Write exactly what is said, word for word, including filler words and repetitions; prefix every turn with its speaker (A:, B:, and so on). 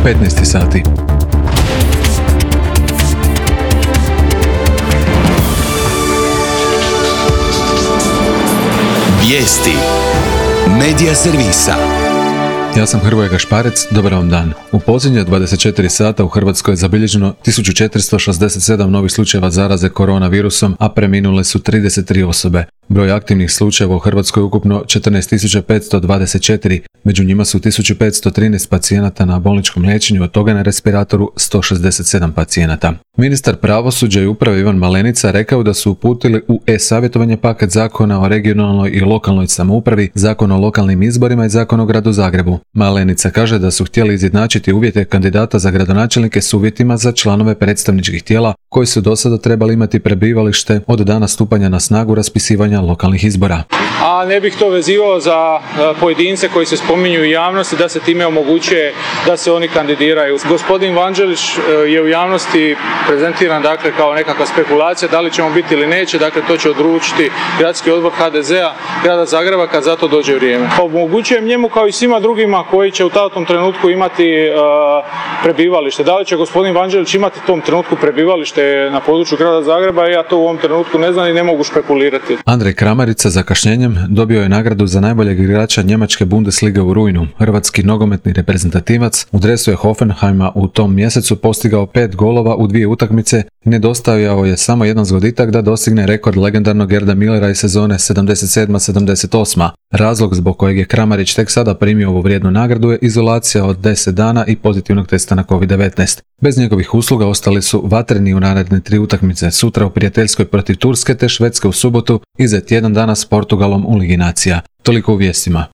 A: petnaest sati.
B: Vijesti Medija servisa.
A: Ja sam Hrvoje Gašparec, dobar vam dan. U posljednje dvadeset četiri sata u Hrvatskoj je zabilježeno tisuću četiristo šezdeset sedam novih slučajeva zaraze koronavirusom, a preminule su trideset tri osobe. Broj aktivnih slučajeva u Hrvatskoj je ukupno četrnaest tisuća petsto dvadeset četiri, među njima su tisuću petsto trinaest pacijenata na bolničkom liječenju, od toga na respiratoru sto šezdeset sedam pacijenata. Ministar pravosuđa i uprave Ivan Malenica rekao da su uputili u e-savjetovanje paket zakona o regionalnoj i lokalnoj samoupravi, zakon o lokalnim izborima i zakon o gradu Zagrebu. Malenica kaže da su htjeli izjednačiti uvjete kandidata za gradonačelnike s uvjetima za članove predstavničkih tijela koji su do sada trebali imati prebivalište od dana stupanja na snagu raspisivanja lokalnih izbora.
C: A ne bih to vezivao za pojedince koji se spominju u javnosti da se time omogućuje da se oni kandidiraju. Gospodin Vanđelić je u javnosti prezentiran dakle kao nekakva spekulacija da li ćemo biti ili neće, dakle to će odlučiti gradski odbor ha de zea grada Zagreba kad za to dođe vrijeme. Omogućujem njemu kao i svima drugima koji će u tom trenutku imati uh, prebivalište. Da li će gospodin Vanđelić imati u tom trenutku prebivalište na području grada Zagreba, ja to u ovom trenutku ne znam i ne mogu špekulirati.
A: Andrej Kramarić sa zakašnjenjem dobio je nagradu za najboljeg igrača njemačke Bundeslige u rujnu. Hrvatski nogometni reprezentativac u dresu je Hoffenheima u tom mjesecu postigao pet golova u dvije utakmice i nedostajao je samo jedan zgoditak da dostigne rekord legendarnog Gerda Millera iz sezone sedamdeset sedam sedamdeset osam. Razlog zbog kojeg je Kramarić tek sada primio ovu vrijednu nagradu je izolacija od deset dana i pozitivnog testa na kovid devetnaest. Bez njegovih usluga ostali su vatreni u naredne tri utakmice, sutra u prijateljskoj protiv Turske te Švedske u subotu i za tjedan dana s Portugalom u Ligi nacija. Toliko u vijestima.